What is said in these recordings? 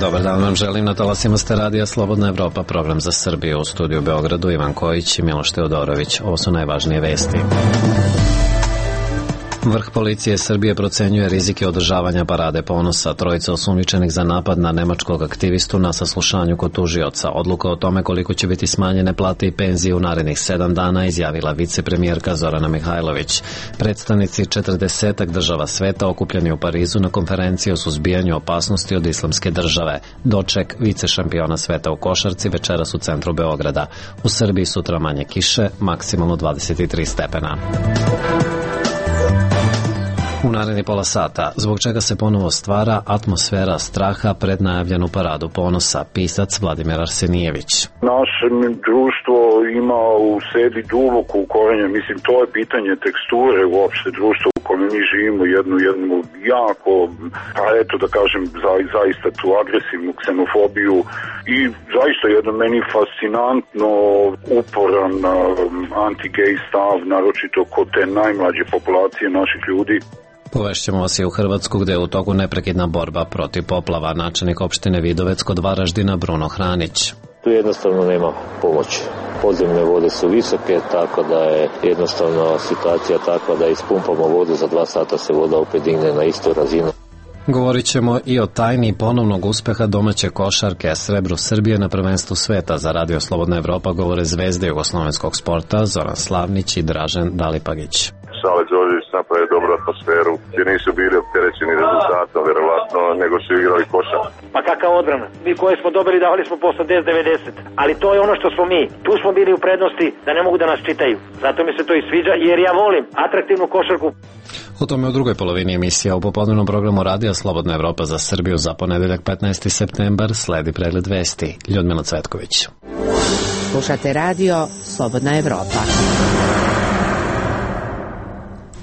Dobar dan vam želim, na talasima ste radija Slobodna Evropa, program za Srbiju. U studiju u Beogradu Ivan Kojić i Miloš Teodorović. Ovo su najvažnije vesti. Vrh policije Srbije procenjuje rizike održavanja parade ponosa. Trojica osumnjičenih za napad na nemačkog aktivistu na saslušanju kod tužioca. Odluka o tome koliko će biti smanjene plate i penzije u narednih 7 dana izjavila vicepremijerka Zorana Mihajlović. Predstavnici 40 država sveta okupljeni u Parizu na konferenciji o suzbijanju opasnosti od islamske države. Doček vice šampiona sveta u košarci večeras u centru Beograda. U Srbiji sutra manje kiše, maksimalno 23 stepena. U naredni pola sata, zbog čega se ponovo stvara atmosfera straha pred najavljenu paradu ponosa, pisac Vladimir Arsenijević. Naše društvo ima u sebi duboko ukorenje, mislim, to je pitanje teksture uopšte društva u kojem mi živimo, jednu jako, pa eto da kažem, zaista tu agresivnu ksenofobiju i zaista jedan meni fascinantno uporan anti-gay stav, naročito kod te najmlađe populacije naših ljudi. Povešćemo vas i u Hrvatsku, gde je u toku neprekidna borba protiv poplava. Načelnik opštine Vidovec kod Varaždina Bruno Hranić. Tu jednostavno nema pomoći. Podzemne vode su visoke, tako da je jednostavno situacija takva da ispumpamo vodu, za 2 sata se voda opet digne na istu razinu. Govorit ćemo i o tajni ponovnog uspeha domaće košarke, srebru Srbije na prvenstvu sveta. Za Radio Slobodna Evropa govore zvezde jugoslovenskog sporta Zoran Slavnić i Dražen Dalipagić. Sale Đorđević napravio dobru atmosferu, jer nisu bili opterećeni rezultatom, verovatno, nego su igrali košarku. Pa kakav odbrana? Mi koje smo dobili davali smo po 80-90, ali to je ono što smo mi. Tu smo bili u prednosti da ne mogu da nas čitaju. Zato mi se to i sviđa, jer ja volim atraktivnu košarku. O tome u drugoj polovini emisija. U popodnevnom programu Radija Slobodna Evropa za Srbiju za ponedeljak 15. septembar sledi pregled vesti. Ljudmila Cvetković. Slušate radio Slobodna Evropa.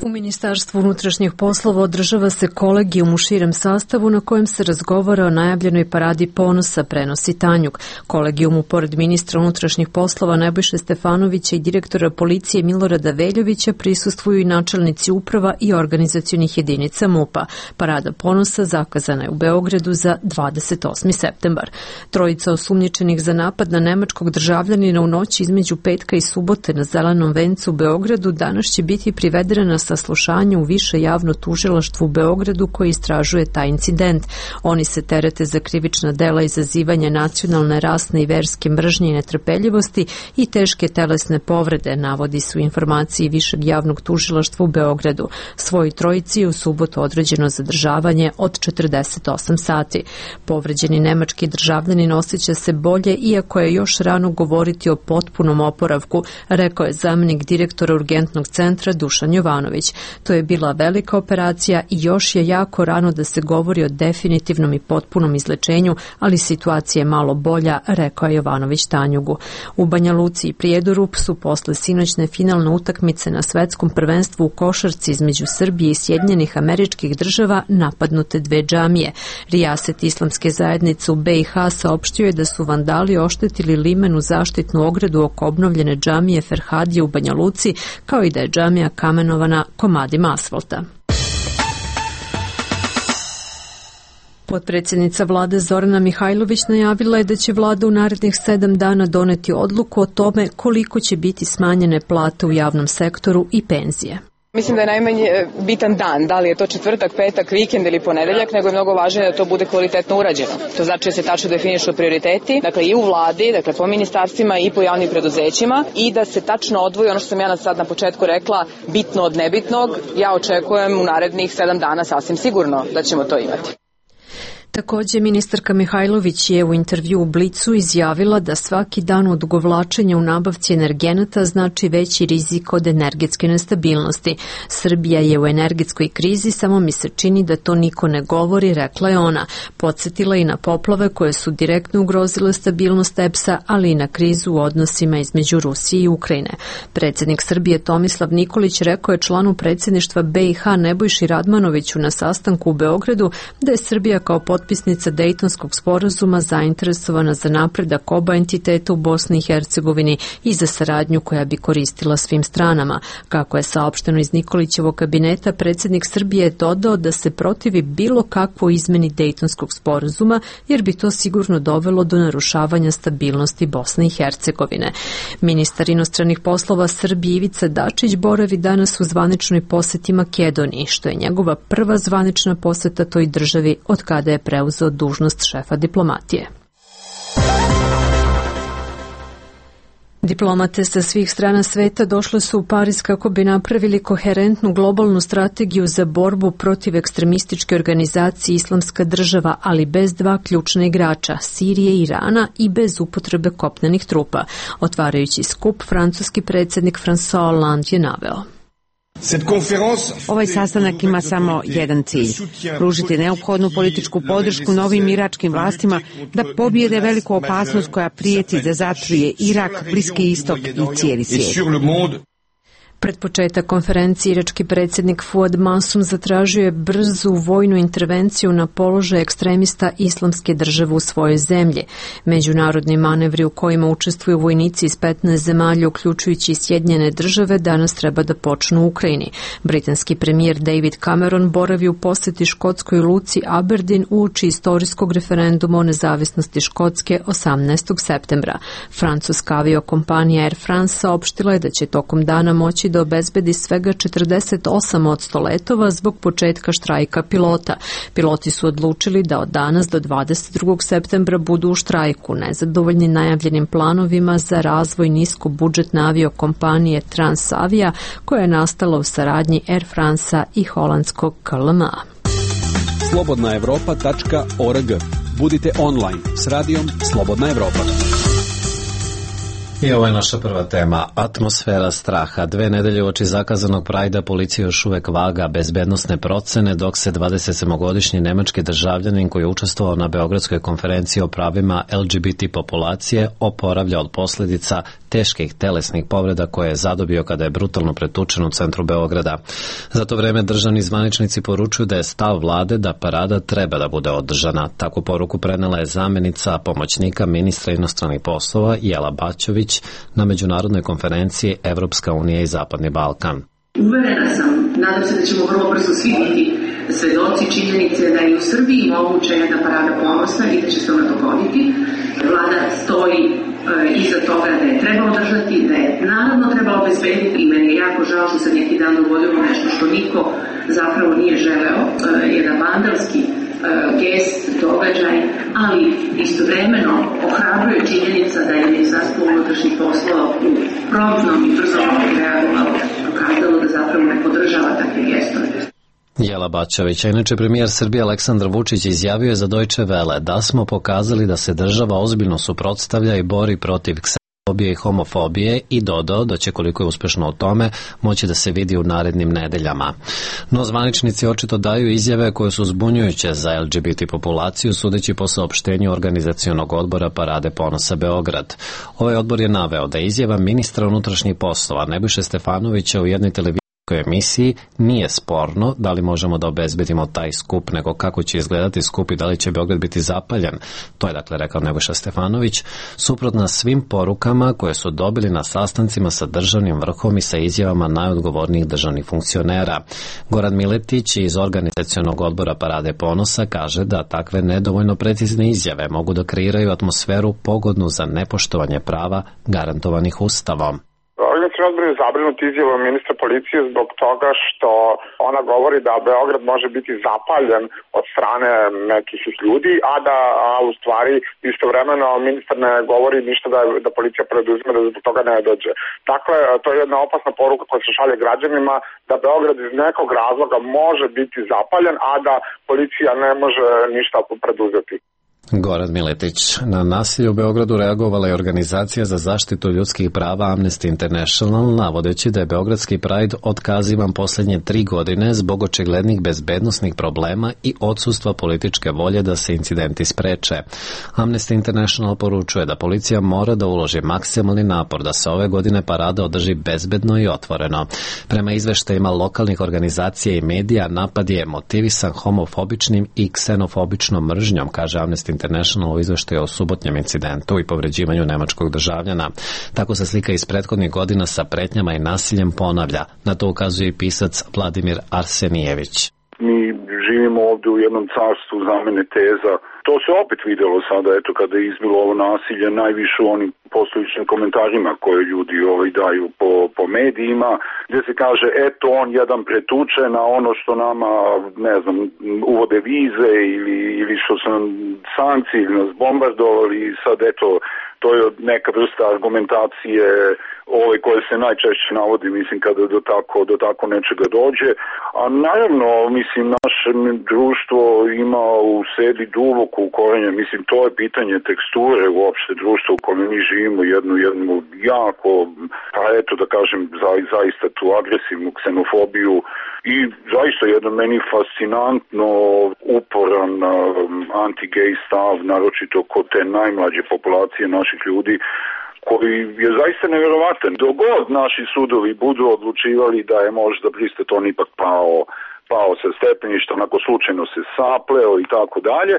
U Ministarstvu unutrašnjih poslova održava se kolegijum u širem sastavu na kojem se razgovara o najavljenoj paradi ponosa, prenosi Tanjug. Kolegijumu, pored ministra unutrašnjih poslova Nebojše Stefanovića i direktora policije Milorada Veljovića, prisustvuju i načelnici uprava i organizacionih jedinica MUP-a. Parada ponosa zakazana je u Beogradu za 28. septembar. Trojica osumnjičenih za napad na nemačkog državljanina u noći između petka i subote na Zelenom vencu u Beogradu danas će biti privedena na saslušanje u više javno tužilaštvo u Beogradu koji istražuje taj incident. Oni se terete za krivična dela izazivanja nacionalne, rasne i verske mržnje i netrpeljivosti i teške telesne povrede, navodi su informacije višeg javnog tužilaštva u Beogradu. Svoj trojici je u subotu određeno zadržavanje od 48 sati. Povređeni nemački državljanin osjeća se bolje, iako je još rano govoriti o potpunom oporavku, rekao je zamenik direktora urgentnog centra Dušan Jovanović. To je bila velika operacija i još je jako rano da se govori o definitivnom i potpunom izlečenju, ali situacija je malo bolja, rekao je Jovanović Tanjugu. U Banja Luci i Prijedoru su posle sinoćne finalne utakmice na svetskom prvenstvu u košarci između Srbije i Sjedinjenih Američkih Država napadnute 2 džamije. Rijaset islamske zajednice u BiH saopštio je da su vandali oštetili limenu zaštitnu ogradu oko obnovljene džamije Ferhadije u Banja Luci, kao i da je džamija kamenovana komadima asfalta. Potpredsjednica vlade Zorana Mihajlović najavila je da će vlada u narednih 7 dana doneti odluku o tome koliko će biti smanjene plate u javnom sektoru i penzije. Mislim da je najmanje bitan dan, da li je to četvrtak, petak, vikend ili ponedeljak, nego je mnogo važnije da to bude kvalitetno urađeno. To znači da se tačno definišu prioriteti, dakle i u vladi, dakle po ministarstvima i po javnim preduzećima i da se tačno odvoji ono što sam ja sad na početku rekla, bitno od nebitnog. Ja očekujem u narednih 7 dana sasvim sigurno da ćemo to imati. Također, ministarka Mihajlović je u intervju u Blicu izjavila da svaki dan odugovlačenja u nabavci energenata znači veći rizik od energetske nestabilnosti. Srbija je u energetskoj krizi, samo mi se čini da to niko ne govori, rekla je ona. Podsjetila i na poplave koje su direktno ugrozile stabilnost EPS-a, ali i na krizu u odnosima između Rusije i Ukrajine. Predsjednik Srbije Tomislav Nikolić rekao je članu predsjedništva BiH Nebojši Radmanoviću na sastanku u Beogradu da je Srbija kao potpredsjednik potpisnica Dejtonskog sporazuma zainteresovana za napredak oba entiteta u Bosni i Hercegovini i za saradnju koja bi koristila svim stranama. Kako je saopšteno iz Nikolićevog kabineta, predsjednik Srbije je dodao da se protivi bilo kakvoj izmeni Dejtonskog sporazuma, jer bi to sigurno dovelo do narušavanja stabilnosti Bosne i Hercegovine. Ministar inostranih poslova Srbije Ivica Dačić boravi danas u zvaničnoj poseti Makedoniji, što je njegova prva zvanična poseta toj državi od kada je preuzeo dužnost šefa diplomatije. Diplomate sa svih strana sveta došle su u Pariz kako bi napravili koherentnu globalnu strategiju za borbu protiv ekstremističke organizacije Islamska država, ali bez dva ključna igrača, Sirije i Irana, i bez upotrebe kopnenih trupa. Otvarajući skup, francuski predsjednik François Hollande je naveo: Ovaj sastanak ima samo jedan cilj, pružiti neophodnu političku podršku novim iračkim vlastima da pobijede veliku opasnost koja prijeti da zatruje Irak, Bliski istok i cijeli svijet. Pred početak konferencije irački predsjednik Fuad Masum zatražio je brzu vojnu intervenciju na položaj ekstremista Islamske države u svojoj zemlji. Međunarodni manevri u kojima učestvuju vojnici iz 15 zemalja, uključujući i Sjedinjene države, danas treba da počnu u Ukrajini. Britanski premijer David Cameron boravi u posjeti škotskoj luci Aberdeen uoči istorijskog referenduma o nezavisnosti Škotske 18. septembra. Francuska aviokompanija Air France saopštila je da će tokom dana moći da obezbedi svega 48% letova zbog početka štrajka pilota. Piloti su odlučili da od danas do 22. septembra budu u štrajku, nezadovoljni najavljenim planovima za razvoj niskobudžetne aviokompanije Transavia, koja je nastala u saradnji Air France-a i holandskog KLM-a. slobodnaevropa.org. Budite online s radijom Slobodna Evropa. I ovo je naša prva tema. Atmosfera straha. 2 nedelje uoči zakazanog Prajda policija još uvek vaga bezbednosne procene, dok se 27-godišnji nemački državljanin koji je učestvovao na Beogradskoj konferenciji o pravima LGBT populacije oporavlja od posljedica teških telesnih povreda koje je zadobio kada je brutalno pretučen u centru Beograda. Za to vreme državni zvaničnici poručuju da je stav vlade da parada treba da bude održana. Takvu poruku prenela je zamenica pomoćnika ministra inostranih poslova Jela Baćović na međunarodnoj konferenciji Evropska unija i Zapadni Balkan. Uverena sam, nadam se da ćemo vrlo brzo svi biti svedoci činjenice da je u Srbiji moguća jedna parada ponosa i da će se ona dogoditi. Vlada stoji iza toga da je treba održati, da je naravno treba obezbediti, i meni je jako žao što se neki dan dogodilo nešto što niko zapravo nije želeo, jedan vandalski gest, događaj, ali istovremeno ohrabruje činjenica da je Ministarstvo unutrašnjih poslova u promptnom i brzom reagovalo, pokazalo da zapravo ne podržava takve gestove. Jela Baćovića. Inače, premijer Srbije Aleksandar Vučić izjavio je za Deutsche Welle da smo pokazali da se država ozbiljno suprotstavlja i bori protiv ksenofobije i homofobije i dodao da će, koliko je uspešno u tome, moći da se vidi u narednim nedeljama. No, zvaničnici očito daju izjave koje su zbunjujuće za LGBT populaciju, sudeći po saopštenju organizacionog odbora Parade ponosa Beograd. Ovaj odbor je naveo da izjava ministra unutrašnjih poslova Nebojše Stefanovića u jednoj televiziji emisiji nije sporno da li možemo da obezbedimo taj skup, nego kako će izgledati skup i da li će Beograd biti zapaljen. To je dakle rekao Nebojša Stefanović, suprotno svim porukama koje su dobili na sastancima sa državnim vrhom i sa izjavama najodgovornijih državnih funkcionera. Goran Miletić iz organizacionog odbora Parade ponosa kaže da takve nedovoljno precizne izjave mogu da kreiraju atmosferu pogodnu za nepoštovanje prava garantovanih Ustavom. Organizacioni odbor je zabrinut izjavom ministra policije zbog toga što ona govori da Beograd može biti zapaljen od strane nekih ljudi, a u stvari istovremeno ministar ne govori ništa da policija preduzme da zbog toga ne dođe. Dakle, to je jedna opasna poruka koja se šalje građanima da Beograd iz nekog razloga može biti zapaljen, a da policija ne može ništa preduzeti. Goran Miletić. Na nasilje u Beogradu reagovala je organizacija za zaštitu ljudskih prava Amnesty International, navodeći da je Beogradski Pride otkazivan posljednje 3 godine zbog očiglednih bezbednosnih problema i odsustva političke volje da se incidenti spreče. Amnesty International poručuje da policija mora da uloži maksimalni napor da se ove godine parada održi bezbedno i otvoreno. Prema izveštajima lokalnih organizacija i medija, napad je motivisan homofobičnim i ksenofobičnom mržnjom, kaže Amnesty International u izveštaju o subotnjem incidentu i povređivanju nemačkog državljana. Tako se slika iz prethodnih godina sa pretnjama i nasiljem ponavlja. Na to ukazuje i pisac Vladimir Arsenijević. Mi živimo ovdje u jednom carstvu zamene teza. To se opet videlo sada, eto, kada je izbilo ovo nasilje, najviše u onim postojičnim komentarima koje ljudi daju po medijima, gdje se kaže, eto, on jedan pretuče na ono što nama, ne znam, uvode vize ili što su nam sankcije ili nas bombardovali, sad, eto, to je neka vrsta argumentacije koje se najčešće navodi, mislim, kada do tako nečega dođe. A naravno, mislim, naše društvo ima u sebi duboko ukorenje, mislim, to je pitanje teksture uopšte društva u kojem mi živimo, jednu jako, pa eto da kažem, zaista tu agresivnu ksenofobiju i zaista jedan meni fascinantno uporan anti-gay stav, naročito kod te najmlađe populacije naših ljudi, koji je zaista nevjerovatan. Dok god naši sudovi budu odlučivali da je možda Bristeton ipak pao sa stepeništa, onako slučajno se sapleo i tako dalje,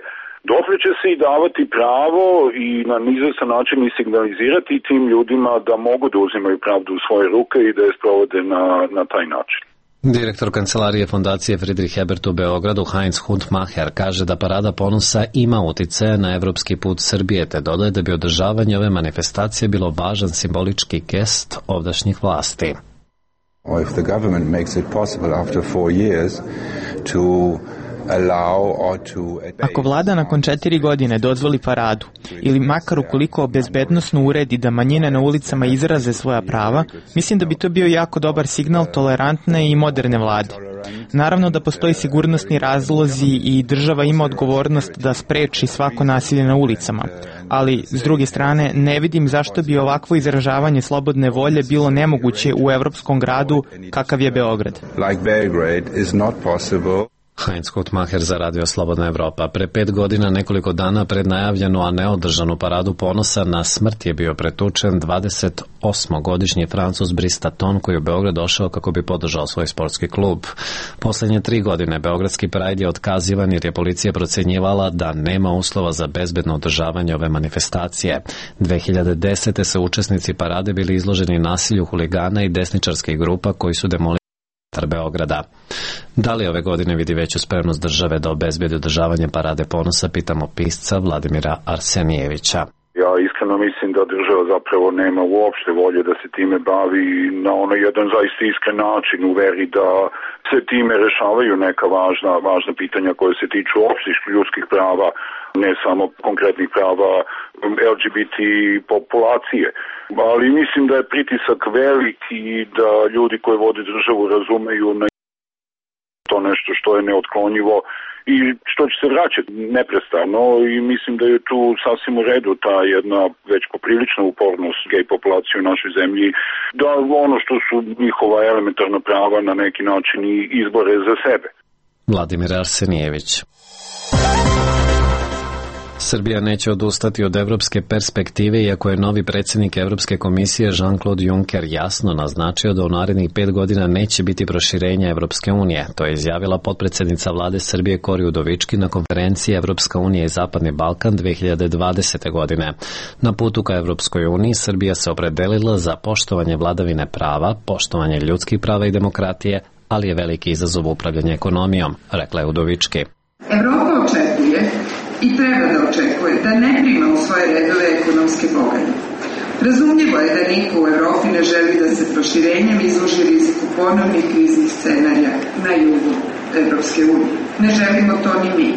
dotle će se i davati pravo i na izvestan način i signalizirati tim ljudima da mogu da uzimaju pravdu u svoje ruke i da je sprovode na taj način. Direktor kancelarije Fondacije Friedrich Ebert u Beogradu Heinz Hundmacher kaže da Parada ponosa ima uticaja na evropski put Srbije, te dodaje da bi održavanje ove manifestacije bilo važan simbolički gest ovdašnjih vlasti. If the government makes it possible after 4 years to Ako vlada nakon 4 godine dozvoli paradu ili makar ukoliko bezbednosno uredi da manjine na ulicama izraze svoja prava, mislim da bi to bio jako dobar signal tolerantne i moderne vlade. Naravno da postoji sigurnosni razlozi i država ima odgovornost da spreči svako nasilje na ulicama, ali s druge strane ne vidim zašto bi ovakvo izražavanje slobodne volje bilo nemoguće u evropskom gradu kakav je Beograd. Heinz Hundmacher za Radio Slobodna Evropa. Pre 5 godina, nekoliko dana pred najavljenu, a neodržanu Paradu ponosa, na smrt je bio pretučen 28-godišnji Francuz Bristeton, koji je u Beograd došao kako bi podržao svoj sportski klub. Poslednje 3 godine Beogradski Pride je otkazivan jer je policija procenjivala da nema uslova za bezbedno održavanje ove manifestacije. 2010. su učesnici parade bili izloženi nasilju huligana i desničarskih grupa koji su demolirali Beograda. Da li ove godine vidi veću spremnost države da obezbedi održavanje Parade ponosa, pitamo pisca Vladimira Arsenijevića. Ja iskreno mislim da država zapravo nema uopšte volje da se time bavi na jedan zaista iskren način, u veri da se time rešavaju neka važna pitanja koje se tiču opštih ljudskih prava, ne samo konkretnih prava LGBT populacije. Ali mislim da je pritisak veliki i da ljudi koji vode državu razumeju na to nešto što je neotklonjivo i što će se vraćati neprestano, i mislim da je tu sasvim u redu ta jedna već poprilična upornost gej populacije u našoj zemlji, da ono što su njihova elementarna prava na neki način i izbore za sebe. Vladimir Arsenijević. Srbija neće odustati od evropske perspektive, iako je novi predsjednik Evropske komisije Jean-Claude Juncker jasno naznačio da u narednih 5 godina neće biti proširenja Evropske unije. To je izjavila potpredsjednica vlade Srbije Kori Udovički na konferenciji Evropska unija i Zapadni Balkan 2020. godine. Na putu ka Evropskoj uniji Srbija se opredelila za poštovanje vladavine prava, poštovanje ljudskih prava i demokratije, ali je veliki izazov upravljanja ekonomijom, rekla je Udovički. Evropa očekuje i treba da očekuje da ne prima u svoje redove ekonomske bogate. Razumljivo je da niko u Evropi ne želi da se proširenjem izloži riziku ponovnih kriznih scenarija na jugu Evropske unije. Ne želimo to ni mi.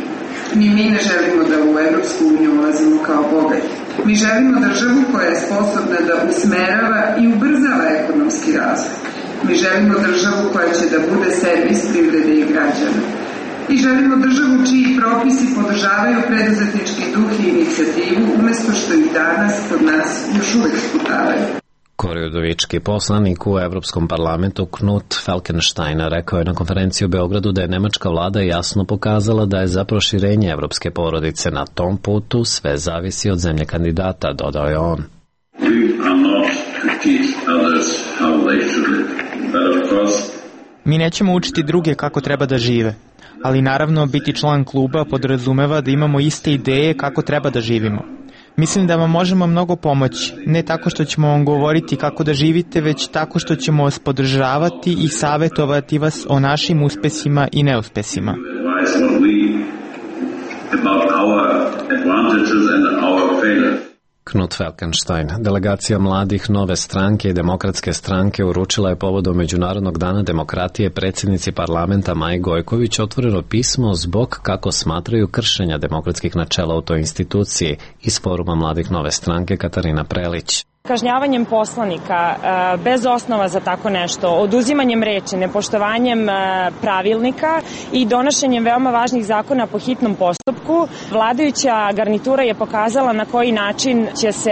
Ni mi ne želimo da u Evropsku uniju ulazimo kao bogati. Mi želimo državu koja je sposobna da usmerava i ubrzava ekonomski razvoj. Mi želimo državu koja će da bude servis privrede i građana. I želimo državu čiji propisi podržavaju preduzetnički duh i inicijativu, umesto što ih danas kod nas još uvek sputavaju. Kori Udovički, poslanik u Evropskom parlamentu Knut Falkenstein, rekao je na konferenciji u Beogradu da je nemačka vlada jasno pokazala da je za proširenje evropske porodice na tom putu sve zavisi od zemlje kandidata, dodao je on. Mi nećemo učiti druge kako treba da žive, ali naravno biti član kluba podrazumeva da imamo iste ideje kako treba da živimo. Mislim da vam možemo mnogo pomoći, ne tako što ćemo vam govoriti kako da živite, već tako što ćemo vas podržavati i savjetovati vas o našim uspesima i neuspesima. Knut Falkenstein, delegacija mladih Nove stranke i Demokratske stranke uručila je povodom Međunarodnog dana demokratije predsjednici parlamenta Maji Gojković otvoreno pismo zbog kako smatraju kršenja demokratskih načela u toj instituciji iz foruma mladih Nove stranke Katarina Prelić. Kažnjavanjem poslanika bez osnova za tako nešto, oduzimanjem reči, nepoštovanjem pravilnika i donošenjem veoma važnih zakona po hitnom postupku, vladajuća garnitura je pokazala na koji način će se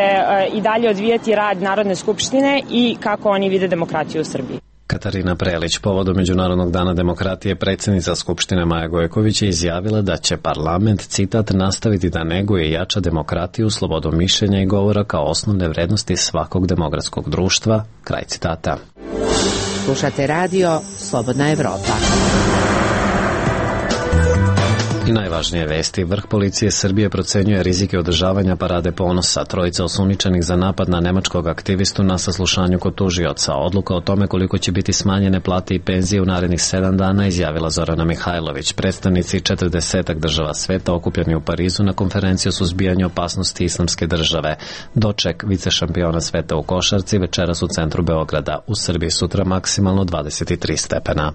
i dalje odvijati rad Narodne skupštine i kako oni vide demokratiju u Srbiji. Katarina Prelić, povodom Međunarodnog dana demokratije, predsjednica Skupštine Maja Gojković je izjavila da će parlament, citat, nastaviti da neguje i jača demokratiju, slobodu mišljenja i govora kao osnovne vrednosti svakog demokratskog društva, kraj citata. Slušate radio Slobodna Evropa. I najvažnije vesti, vrh policije Srbije procenjuje rizike održavanja parade ponosa. Trojica osumnjičenih za napad na nemačkog aktivistu na saslušanju kod tužioca. Odluka o tome koliko će biti smanjene plate i penzije u narednih 7 dana izjavila Zorana Mihajlović. Predstavnici 40 država sveta okupljeni u Parizu na konferenciju o suzbijanju opasnosti islamske države. Doček vicešampiona sveta u košarci večeras u centru Beograda. U Srbiji sutra maksimalno 23 stepena.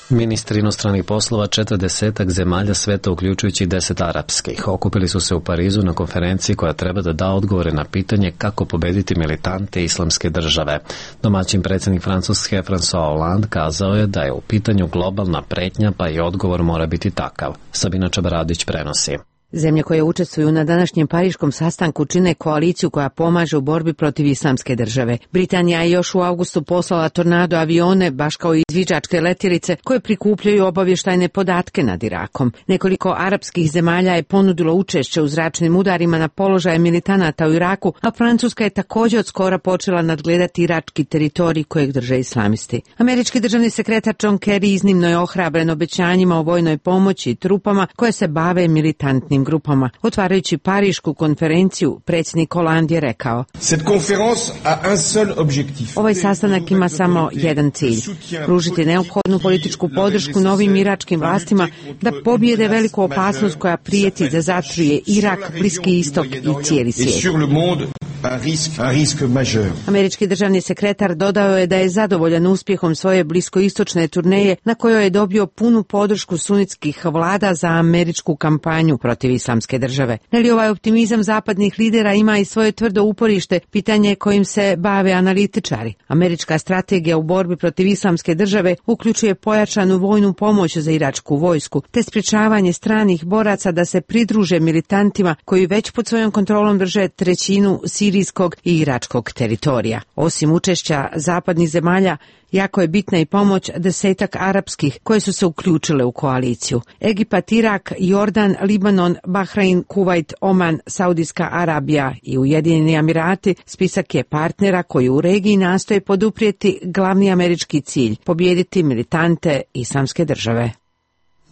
Ministri inostranih poslova 40 zemalja sveta, uključujući 10 arapskih, okupili su se u Parizu na konferenciji koja treba da da odgovore na pitanje kako pobediti militante islamske države. Domaćin predsjednik Francuske François Hollande kazao je da je u pitanju globalna pretnja, pa i odgovor mora biti takav. Sabina Čabaradić prenosi. Zemlje koje učestvuju na današnjem pariškom sastanku čine koaliciju koja pomaže u borbi protiv islamske države. Britanija je još u avgustu poslala tornado avione, baš kao i izviđačke letjelice, koje prikupljaju obavještajne podatke nad Irakom. Nekoliko arapskih zemalja je ponudilo učešće u zračnim udarima na položaje militanata u Iraku, a Francuska je također od skora počela nadgledati irački teritorij kojeg drže islamisti. Američki državni sekretar John Kerry iznimno je ohrabren obećanjima o vojnoj pomoći i trupama koje se bave militantnim grupama. Otvarajući parišku konferenciju, predsjednik Hollande je rekao: ovaj sastanak ima samo jedan cilj, pružiti neophodnu političku podršku novim iračkim vlastima da pobijede veliku opasnost koja prijeti da zatruje Irak, Bliski istok i cijeli svijet. Američki državni sekretar dodao je da je zadovoljan uspjehom svoje bliskoistočne turneje na kojoj je dobio punu podršku sunitskih vlada za američku kampanju protiv islamske države. Ali ovaj optimizam zapadnih lidera ima i svoje tvrdo uporište, pitanje kojim se bave analitičari. Američka strategija u borbi protiv islamske države uključuje pojačanu vojnu pomoć za iračku vojsku, te sprječavanje stranih boraca da se pridruže militantima koji već pod svojom kontrolom drže trećinu sirijskog i iračkog teritorija. Osim učešća zapadnih zemalja, jako je bitna i pomoć 10 arapskih koje su se uključile u koaliciju. Egipat, Irak, Jordan, Libanon, Bahrein, Kuvajt, Oman, Saudijska Arabija i Ujedinjeni Emirati spisak je partnera koji u regiji nastoje poduprijeti glavni američki cilj, pobijediti militante islamske države.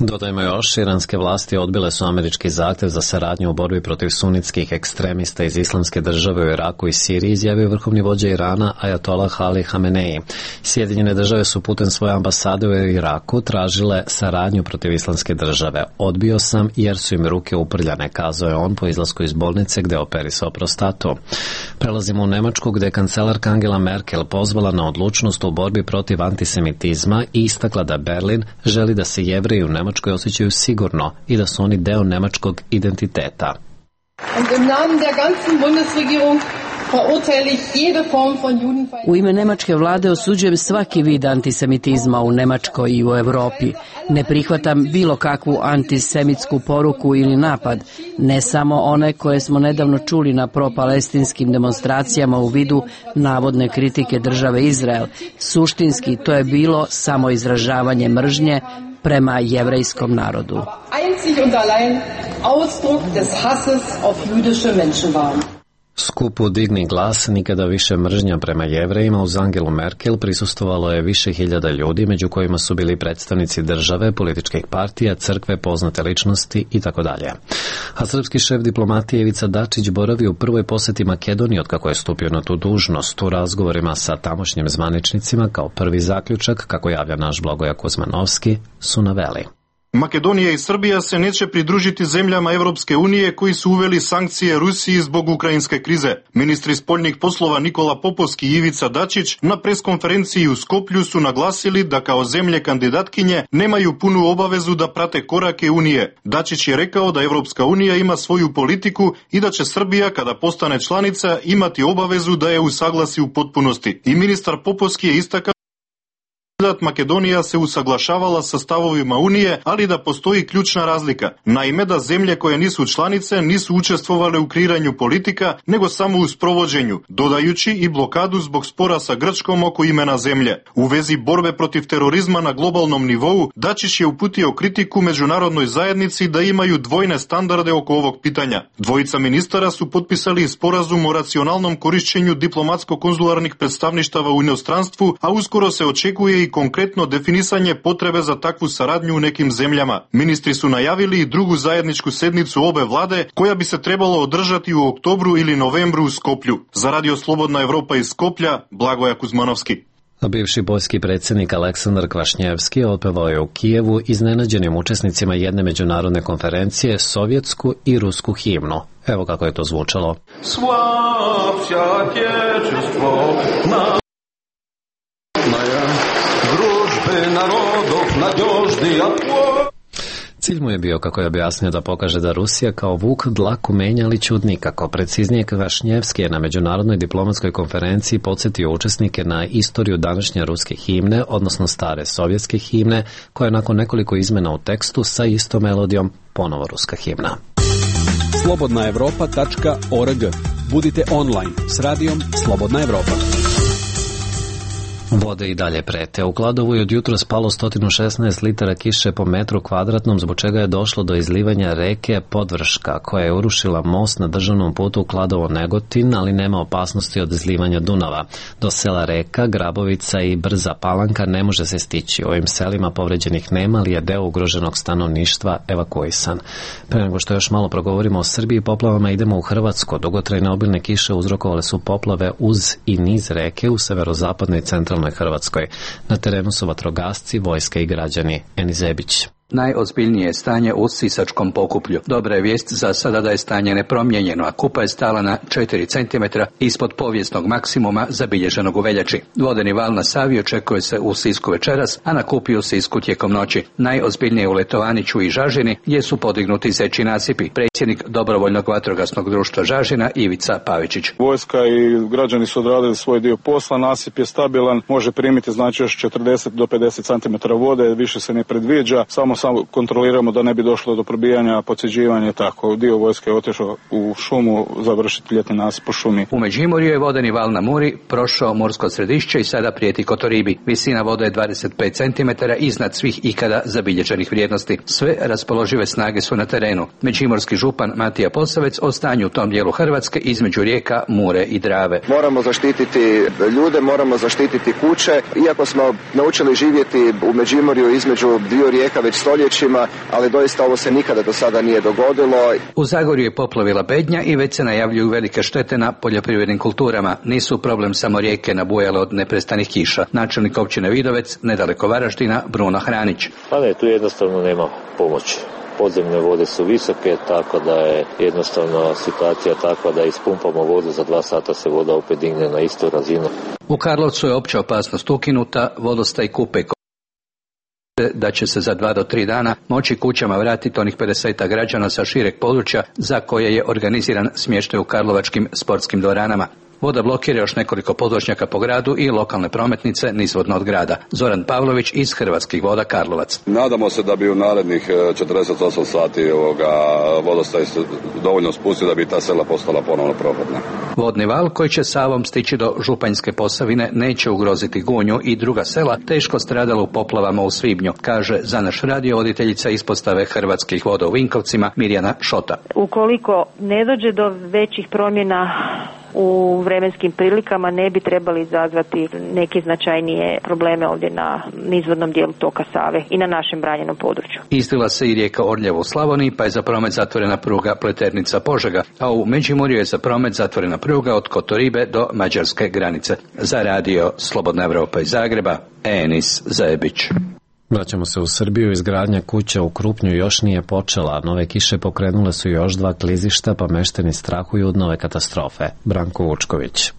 Dodajmo još, iranske vlasti odbile su američki zahtjev za saradnju u borbi protiv sunitskih ekstremista iz islamske države u Iraku i Siriji, izjavio vrhovni vođa Irana Ajatollah Ali Hamenei. Sjedinjene države su putem svoje ambasade u Iraku tražile saradnju protiv islamske države. Odbio sam jer su im ruke uprljane, kazao je on po izlasku iz bolnice gde operisao prostatu. Prelazimo u Nemačku gde je kancelarka Angela Merkel pozvala na odlučnost u borbi protiv antisemitizma i istakla da Berlin želi da se Jevreji u Nemačkoj osjećaju sigurno i da su oni deo nemačkog identiteta. Und im Namen der ganzen Bundesregierung U ime nemačke vlade osuđujem svaki vid antisemitizma u Nemačkoj i u Europi. Ne prihvatam bilo kakvu antisemitsku poruku ili napad, ne samo one koje smo nedavno čuli na propalestinskim demonstracijama u vidu navodne kritike države Izrael. Suštinski to je bilo samo izražavanje mržnje prema jevrejskom narodu. Skupu Digni glas, nikada više mržnja prema Jevrejima uz Angelu Merkel prisustvovalo je više hiljada ljudi, među kojima su bili predstavnici države, političkih partija, crkve, poznate ličnosti itd. A srpski šef diplomatije Ivica Dačić boravi u prvoj poseti Makedoniji otkako je stupio na tu dužnost. U razgovorima sa tamošnjim zvaničnicima kao prvi zaključak, kako javlja naš Blagoja Kuzmanovski, su naveli: Makedonija i Srbija se neće pridružiti zemljama Evropske unije koji su uveli sankcije Rusiji zbog ukrajinske krize. Ministri spoljnih poslova Nikola Popovski i Ivica Dačić na preskonferenciji u Skoplju su naglasili da kao zemlje kandidatkinje nemaju punu obavezu da prate korake Unije. Dačić je rekao da Evropska unija ima svoju politiku i da će Srbija, kada postane članica, imati obavezu da je usaglasi u potpunosti. I ministar Popovski je istakao Makedonija se usaglašavala sa stavovima Unije, ali da postoji ključna razlika. Naime, da zemlje koje nisu članice nisu učestvovale u kreiranju politika, nego samo u sprovođenju, dodajući i blokadu zbog spora sa Grčkom oko imena zemlje. U vezi borbe protiv terorizma na globalnom nivou, Dačić je uputio kritiku međunarodnoj zajednici da imaju dvojne standarde oko ovog pitanja. Dvojica ministara su potpisali sporazum o racionalnom korišćenju diplomatsko-konzularnih predstavništava u inostranstvu, a uskoro se očekuje i konkretno definisanje potrebe za takvu saradnju u nekim zemljama. Ministri su najavili i drugu zajedničku sednicu obe vlade, koja bi se trebalo održati u oktobru ili novembru u Skoplju. Za Radio Slobodna Evropa iz Skoplja, Blagoja Kuzmanovski. A bivši poljski predsjednik Aleksandar Kvašnjevski otpevao je u Kijevu iznenađenim učesnicima jedne međunarodne konferencije sovjetsku i rusku himnu. Evo kako je to zvučalo. Cilj mu je bio, kako je objasnio, da pokaže da Rusija kao vuk dlaku menja, ali ćud nikako. Preciznije, Kvašnjevski je na međunarodnoj diplomatskoj konferenciji podsjetio učesnike na istoriju današnje ruske himne, odnosno stare sovjetske himne, koja je nakon nekoliko izmena u tekstu sa istom melodijom ponovo ruska himna. slobodnaevropa.org. Budite online s radijom Slobodna Evropa. Vode i dalje prete. U Kladovu je od jutra spalo 116 litara kiše po metru kvadratnom, zbog čega je došlo do izlivanja reke Podvrška, koja je urušila most na državnom putu Kladovo-Negotin, ali nema opasnosti od izlivanja Dunava. Do sela Reka, Grabovica i Brza Palanka ne može se stići. U ovim selima povređenih nema, ali je deo ugroženog stanovništva evakuisan. Pre nego što još malo progovorimo o Srbiji i poplavama, idemo u Hrvatsku. Dugotrajne obilne kiše uzrokovale su poplave uz i niz reke u severozapadnoj i centralnoj Hrvatskoj. Na terenu su vatrogasci, vojska i građani. Eni Zebić. Najozbiljnije je stanje u Sisačkom Pokuplju. Dobra je vijest za sada da je stanje nepromijenjeno, a kupa je stala na 4 cm ispod povijesnog maksimuma zabilježenog u veljači. Vodeni val na Savi očekuje se u Sisku večeras, a na Kupi u Sisku tijekom noći. Najozbiljnije u Letovaniću i Žažini, gdje su podignuti zeči nasipi. Predsjednik Dobrovoljnog vatrogasnog društva Žažina Ivica Pavičić. Vojska i građani su odradili svoj dio posla, nasip je stabilan, može primiti znači još 40 do 50 cm vode, više se ne predviđa, samo kontroliramo da ne bi došlo do probijanja, podsjeđivanja i tako. Dio vojske je otišao u šumu završiti ljetni nasip po šumi. U Međimurju je vodeni val na Muri prošao Mursko Središće i sada prijeti Kotoribi. Visina vode je 25 cm iznad svih ikada zabilježenih vrijednosti. Sve raspoložive snage su na terenu. Međimurski župan Matija Posavec o stanju u tom dijelu Hrvatske između rijeka Mure i Drave. Moramo zaštititi ljude, moramo zaštititi kuće. Iako smo naučili živjeti u Međimurju između dviju rijeka već stoljećima, ali doista ovo se nikada do sada nije dogodilo. U Zagorju je poplavila Bednja i već se najavljuju velike štete na poljoprivrednim kulturama. Nisu problem samo rijeke nabujale od neprestanih kiša. Načelnik općine Vidovec, nedaleko Varaždina, Bruno Hranić. Pa ne, tu jednostavno nema pomoći. Podzemne vode su visoke, tako da je jednostavno situacija takva da ispumpamo vodu, za 2 sata se voda opet digne na istu razinu. U Karlovcu je opća opasnost ukinuta, vodostaj Kupe da će se za 2 do 3 dana moći kućama vratiti onih 50 građana sa šireg područja za koje je organiziran smještaj u karlovačkim sportskim dvoranama. Voda blokira još nekoliko podvožnjaka po gradu i lokalne prometnice nizvodno od grada. Zoran Pavlović iz Hrvatskih voda Karlovac. Nadamo se da bi u narednih 48 sati vodostaj dovoljno spustio da bi ta sela postala ponovno prohodna. Vodni val koji će Savom stići do Županjske Posavine neće ugroziti Gunju i druga sela teško stradala u poplavama u svibnju, kaže za naš radio voditeljica ispostave Hrvatskih voda u Vinkovcima Mirjana Šota. Ukoliko ne dođe do većih promjena u vremenskim prilikama, ne bi trebali izazvati neke značajnije probleme ovdje na nizvodnom dijelu toka Save i na našem branjenom području. Islila se i rijeka Orljevo u Slavoniji, pa je za promet zatvorena pruga Pleternica-Požega, a u Međimurju je za promet zatvorena pruga od Kotoribe do mađarske granice. Za radio Slobodna Evropa iz Zagreba, Enis Zajebić. Vraćamo se u Srbiju. Izgradnja kuća u Krupnju još nije počela. Nove kiše pokrenule su još 2 klizišta, pa meštani strahuju od nove katastrofe. Branko Vučković.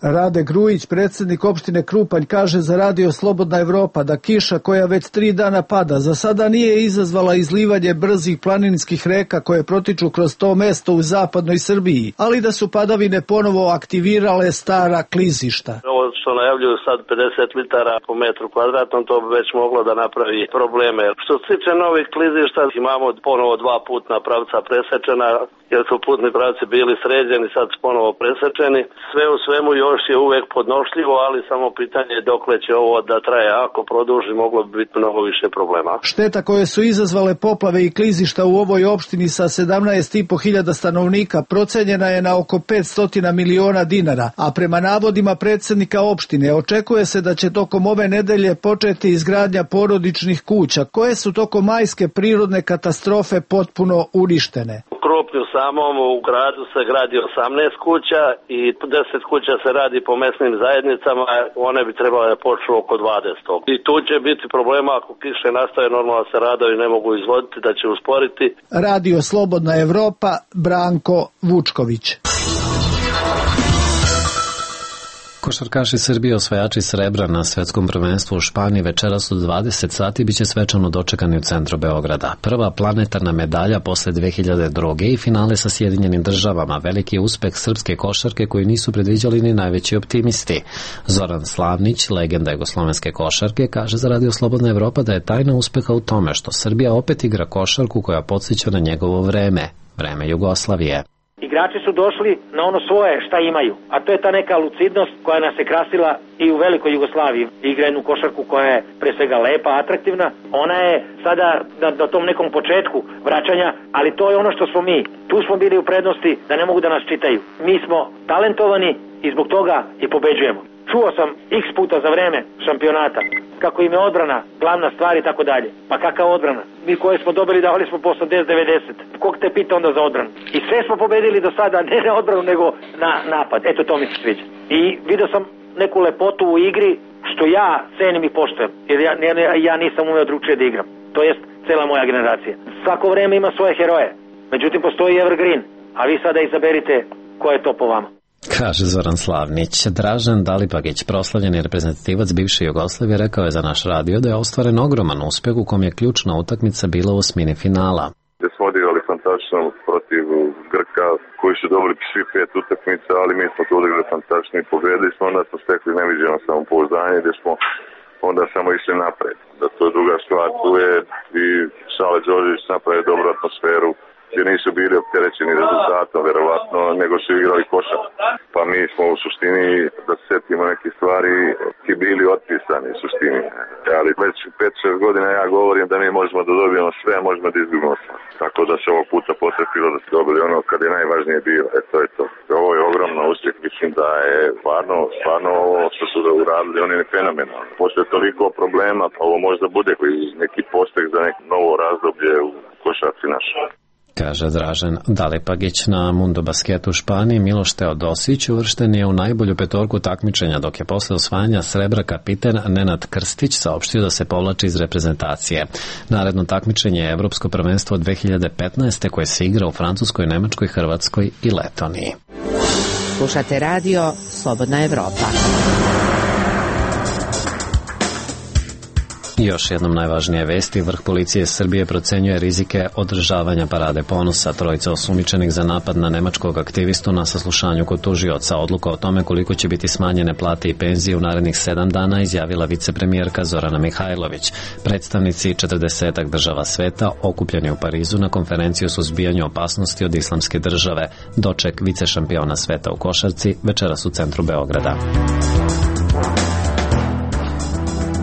Rade Grujić, predsjednik opštine Krupanj, kaže za radio Slobodna Evropa da kiša koja već 3 dana pada za sada nije izazvala izlivanje brzih planinskih reka koje protiču kroz to mesto u zapadnoj Srbiji, ali da su padavine ponovo aktivirale stara klizišta. Ovo što najavljuju sad 50 litara po metru kvadratnom, to bi već moglo da napravi probleme. Što se tiče novih klizišta, imamo ponovo 2 putna pravca presečena, jer su putni pravci bili sređeni, sad su ponovo presečeni. Sve u svemu još je uvek podnošljivo, ali samo pitanje je dokle će ovo da traje. Ako produži, moglo bi biti mnogo više problema. Šteta koje su izazvale poplave i klizišta u ovoj opštini sa 17.500 stanovnika procenjena je na oko 500 miliona dinara, a prema navodima predsjednika opštine očekuje se da će tokom ove nedelje početi izgradnja porodičnih kuća, koje su tokom majske prirodne katastrofe potpuno uništene. U Krupnju samom u gradu se gradi 18 kuća i 10 kuća se radi po mesnim zajednicama, one bi trebale da počnu oko 20. I tu će biti problema ako kiše nastave, normalno se radovi ne mogu izvoditi, da će usporiti. Radio Slobodna Evropa, Branko Vučković. Košarkaši Srbije osvajači srebra na svetskom prvenstvu u Španiji večeras u 20 sati biće svečano dočekani u centru Beograda. Prva planetarna medalja posle 2002. i finale sa Sjedinjenim državama. Veliki uspeh srpske košarke koji nisu predviđali ni najveći optimisti. Zoran Slavnić, legenda jugoslovenske košarke, kaže za radio Slobodna Evropa da je tajna uspeha u tome što Srbija opet igra košarku koja podsjeća na njegovo vreme Jugoslavije. Igrači su došli na ono svoje šta imaju, a to je ta neka lucidnost koja nas je krasila i u velikoj Jugoslaviji. Igra jednu košarku koja je pre svega lepa, atraktivna. Ona je sada na tom nekom početku vraćanja, ali to je ono što smo mi. Tu smo bili u prednosti da ne mogu da nas čitaju. Mi smo talentovani i zbog toga i pobeđujemo. Čuo sam x puta za vreme šampionata kako im je odbrana glavna stvar i tako dalje. Pa kakav odbrana? Mi koje smo dobili davali smo po 80-90. Kog te pita onda za odbranu? I sve smo pobedili do sada, ne na odbranu nego na napad. Eto, to mi se sviđa. I vidio sam neku lepotu u igri što ja cenim i poštujem. Jer ja nisam umeo drugčije da igram. To jest cela moja generacija. Svako vreme ima svoje heroje. Međutim, postoji evergreen. A vi sada izaberite ko je to po vama. Kaže Zoran Slavnić. Dražen Dalipagić, proslavljeni reprezentativac bivše Jugoslavije, rekao je za naš radio da je ostvaren ogroman uspeh u kom je ključna utakmica bila u osmini finala. Gde smo odigrali fantastično protiv Grka koji su dobili svi 5 utakmica, ali mi smo to odigrali fantastično i pobedili smo, onda smo stekli neviđeno samopouzdanje gde smo onda samo išli napred. Da to je druga stvar, tu je i Sale Đorđević napravio dobru atmosferu, gdje nisu bili opterećeni rezultatom, verovatno, nego su igrali košar. Pa mi smo u suštini, da se setimo neke stvari, ki bili otpisani u suštini. Ali već 5-6 godina ja govorim da mi možemo da dobijemo sve, a možemo da izgubimo sve. Tako da se ovog puta potrefilo da se dobili ono kad je najvažnije bilo. To je to. Ovo je ogromno uspjeh, mislim da je stvarno ovo što su da uradili, oni je fenomenalno. Posle toliko problema, ovo možda bude neki pospeh za neko novo razdoblje u košarci našoj. Kaže Dražen Dalipagić. Na Mundo basketu u Španiji Miloš Teodosić uvršten je u najbolju petorku takmičenja, dok je posle osvajanja srebra kapiten Nenad Krstić saopštio da se povlači iz reprezentacije. Naredno takmičenje je Evropsko prvenstvo od 2015. koje se igra u Francuskoj, Nemačkoj, Hrvatskoj i Letoniji. Slušate radio Slobodna Evropa. I još jednom najvažnije vesti, vrh policije Srbije procenjuje rizike održavanja parade ponosa. Trojica osumnjičenih za napad na nemačkog aktivistu na saslušanju kod tužioca. Odluka o tome koliko će biti smanjene plate i penzije u narednih 7 dana izjavila vicepremijerka Zorana Mihajlović. Predstavnici 40 država sveta okupljeni u Parizu na konferenciju o suzbijanju opasnosti od islamske države. Doček vicešampiona sveta u košarci večeras u centru Beograda.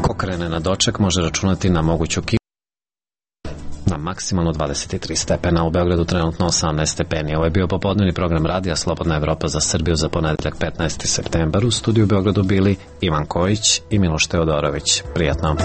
Ko krene na doček može računati na moguću kišu na maksimalno 23 stepena, u Beogradu trenutno 18 stepeni. Ovo je bio popodnevni program radija Slobodna Evropa za Srbiju za ponedeljak 15. septembar. U studiju u Beogradu bili Ivan Kojić i Miloš Teodorović. Prijatno.